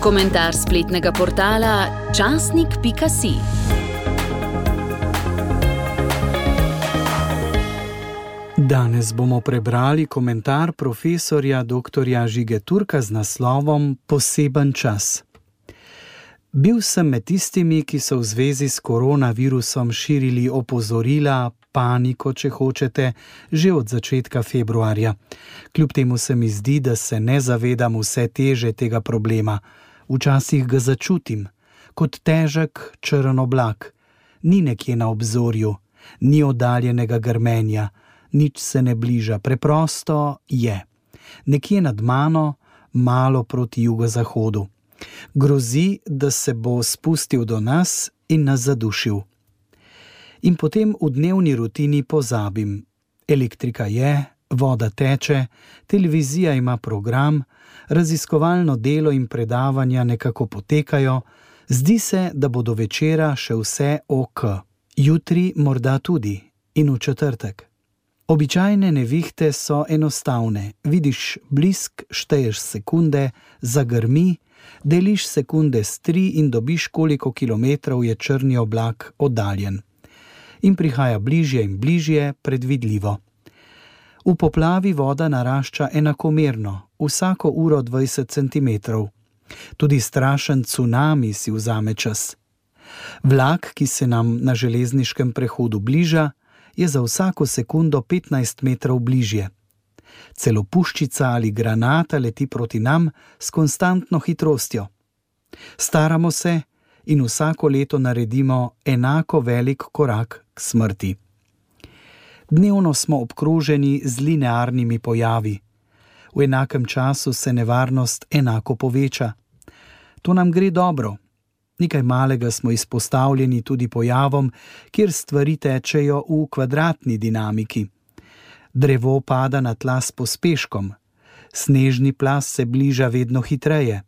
Komentar spletnega portala časnik.si. Danes bomo prebrali komentar profesorja dr. Žige Turka z naslovom Poseben čas. Bil sem med tistimi, ki so v zvezi s koronavirusom širili opozorila, paniko, če hočete, že od začetka februarja. Kljub temu se mi zdi, da se ne zavedam vse teže tega problema. Včasih ga začutim, kot težek črn oblak. Ni nekje na obzorju, ni oddaljenega grmenja, nič se ne bliža, preprosto je. Nekje nad mano, malo proti jugozahodu. Grozi, da se bo spustil do nas in nas zadušil. In potem v dnevni rutini pozabim. Elektrika je, voda teče, televizija ima program, raziskovalno delo in predavanja nekako potekajo, zdi se, da bo do večera še vse ok. Jutri morda tudi in v četrtek. Običajne nevihte so enostavne. Vidiš blisk, šteješ sekunde, zagrmi, deliš sekunde s 3 in dobiš, koliko kilometrov je črni oblak oddaljen. In prihaja bližje in bližje, predvidljivo. V poplavi voda narašča enakomerno, vsako uro 20 centimetrov. Tudi strašen cunami si vzame čas. Vlak, ki se nam na železniškem prehodu bliža, je za vsako sekundo 15 metrov bližje. Celo puščica ali granata leti proti nam s konstantno hitrostjo. Staramo se in vsako leto naredimo enako velik korak k smrti. Dnevno smo obkroženi z linearnimi pojavi. V enakem času se nevarnost enako poveča. To nam gre dobro. Nekaj malega smo izpostavljeni tudi pojavom, kjer stvari tečejo v kvadratni dinamiki. Drevo pada na tla s pospeškom, snežni plaz se bliža vedno hitreje.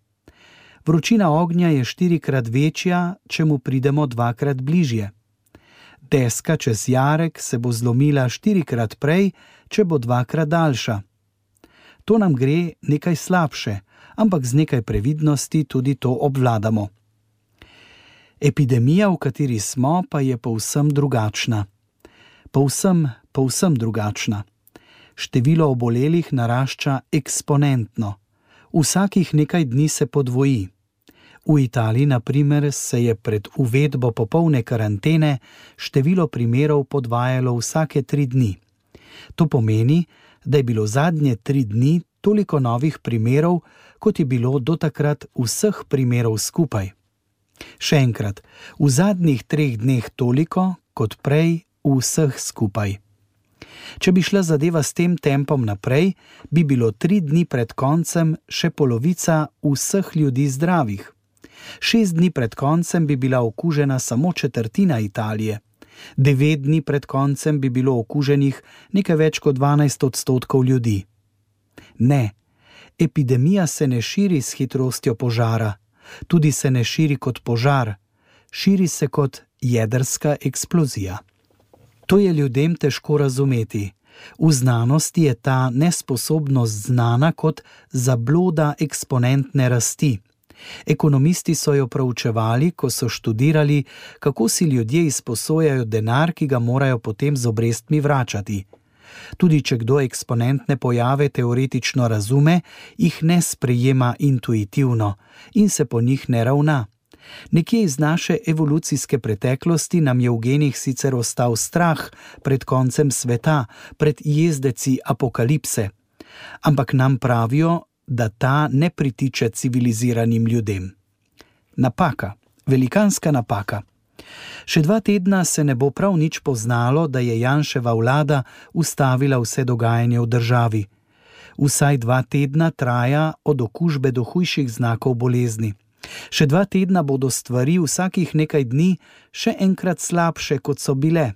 Vročina ognja je 4-krat večja, če mu pridemo 2-krat bližje. Deska čez jarek se bo zlomila 4-krat prej, če bo 2-krat daljša. To nam gre nekaj slabše, ampak z nekaj previdnosti tudi to obvladamo. Epidemija, v kateri smo, pa je povsem drugačna. Povsem drugačna. Število obolelih narašča eksponentno. Vsakih nekaj dni se podvoji. V Italiji, na primer, se je pred uvedbo popolne karantene število primerov podvajalo vsake 3 dni. To pomeni, da je bilo zadnje 3 dni toliko novih primerov, kot je bilo do takrat vseh primerov skupaj. Še enkrat, v zadnjih 3 dneh toliko, kot prej vseh skupaj. Če bi šla zadeva s tem tempom naprej, bi bilo 3 dni pred koncem še polovica vseh ljudi zdravih. 6 dni pred koncem bi bila okužena samo 1/4 Italije. 9 dni pred koncem bi bilo okuženih nekaj več kot 12% ljudi. Ne, epidemija se ne širi s hitrostjo požara, tudi se ne širi kot požar, širi se kot jedrska eksplozija. To je ljudem težko razumeti. V znanosti je ta nesposobnost znana kot zabloda eksponentne rasti. Ekonomisti so jo proučevali, ko so študirali, kako si ljudje izposojajo denar, ki ga morajo potem z obrestmi vračati. Tudi če kdo eksponentne pojave teoretično razume, jih ne sprejema intuitivno in se po njih ne ravna. Nekje iz naše evolucijske preteklosti nam je v genih sicer ostal strah pred koncem sveta, pred jezdeci apokalipse, ampak nam pravijo, da ta ne pritiče civiliziranim ljudem. Napaka, velikanska napaka. Še 2 tedna se ne bo prav nič poznalo, da je Janševa vlada ustavila vse dogajanje v državi. Vsaj 2 tedna traja od okužbe do hujših znakov bolezni. Še 2 tedna bodo stvari vsakih nekaj dni še enkrat slabše, kot so bile.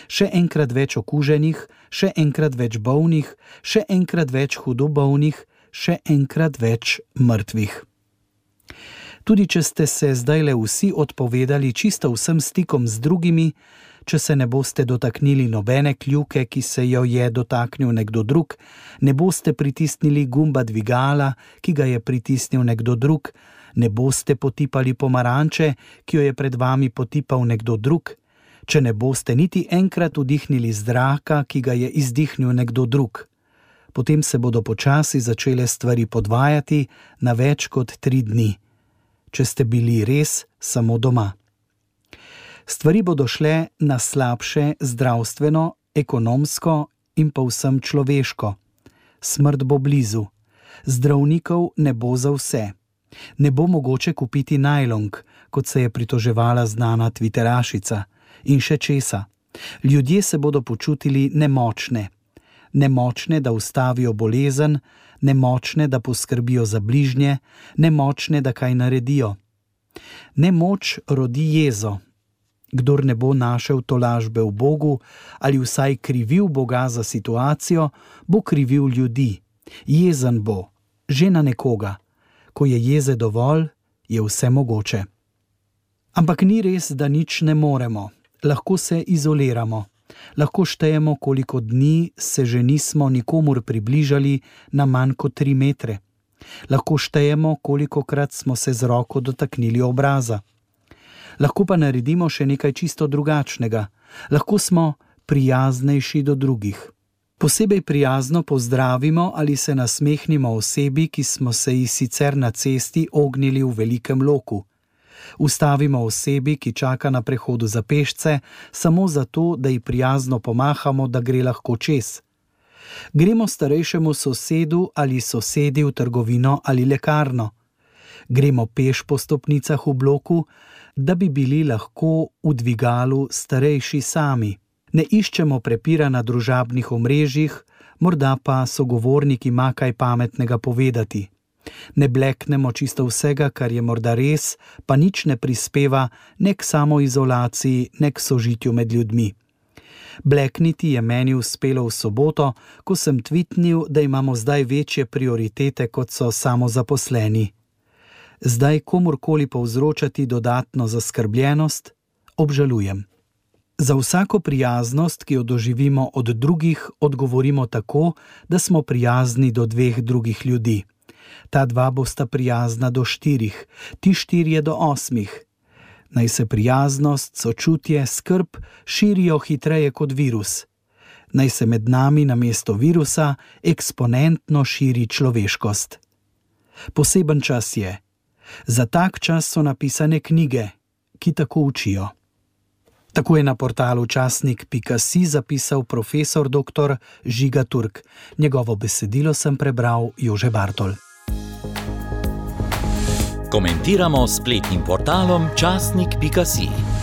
Še enkrat več okuženih, še enkrat več bolnih, še enkrat več hudo bolnih, še enkrat več mrtvih. Tudi če ste se zdajle vsi odpovedali čisto vsem stikom z drugimi, če se ne boste dotaknili nobene kljuke, ki se jo je dotaknil nekdo drug, ne boste pritisnili gumba dvigala, ki ga je pritisnil nekdo drug, ne boste potipali pomaranče, ki jo je pred vami potipal nekdo drug, če ne boste niti enkrat vdihnili zraka, ki ga je izdihnil nekdo drug. Potem se bodo počasi začele stvari podvajati na več kot 3 dni, če ste bili res samo doma. Stvari bodo šle na slabše zdravstveno, ekonomsko in povsem človeško. Smrt bo blizu. Zdravnikov ne bo za vse. Ne bo mogoče kupiti najlonk, kot se je pritoževala znana Twitterašica, in še česa. Ljudje se bodo počutili nemočne. Nemočne, da ustavijo bolezen, nemočne, da poskrbijo za bližnje, nemočne, da kaj naredijo. Nemoč rodi jezo. Kdor ne bo našel tolažbe v Bogu ali vsaj krivil Boga za situacijo, bo krivil ljudi. Jezen bo, že na nekoga. Ko je jeze dovolj, je vse mogoče. Ampak ni res, da nič ne moremo. Lahko se izoliramo. Lahko štejemo, koliko dni se že nismo nikomur približali na manj kot 3 metre. Lahko štejemo, kolikokrat smo se z roko dotaknili obraza. Lahko pa naredimo še nekaj čisto drugačnega. Lahko smo prijaznejši do drugih. Posebej prijazno pozdravimo ali se nasmehnimo osebi, ki smo se ji sicer na cesti ognili v velikem loku. Ustavimo osebi, ki čaka na prehodu za pešce, samo zato, da ji prijazno pomahamo, da gre lahko čez. Gremo starejšemu sosedu ali sosedi v trgovino ali lekarno. Gremo peš po stopnicah v bloku, da bi bili lahko v dvigalu starejši sami. Ne iščemo prepira na družabnih omrežjih, morda pa sogovornik ima kaj pametnega povedati. Ne bleknemo čisto vsega, kar je morda res, pa nič ne prispeva ne k samoizolaciji, ne k sožitju med ljudmi. Blekniti je meni uspelo v soboto, ko sem tvitnil, da imamo zdaj večje prioritete, kot so samozaposleni. Zdaj komurkoli povzročati dodatno zaskrbljenost, obžalujem. Za vsako prijaznost, ki jo doživimo od drugih, odgovorimo tako, da smo prijazni do 2 drugih ljudi. Ta 2 bosta prijazna do 4, ti 4 do 8. Naj se prijaznost, sočutje, skrb širijo hitreje kot virus. Naj se med nami namesto virusa eksponentno širi človeškost. Poseben čas je. Za tak čas so napisane knjige, ki tako učijo. Tako je na portalu časnik.si zapisal profesor dr. Žiga Turk. Njegovo besedilo sem prebral Jože Bartol. Komentiramo s spletnim portalom časnik.si.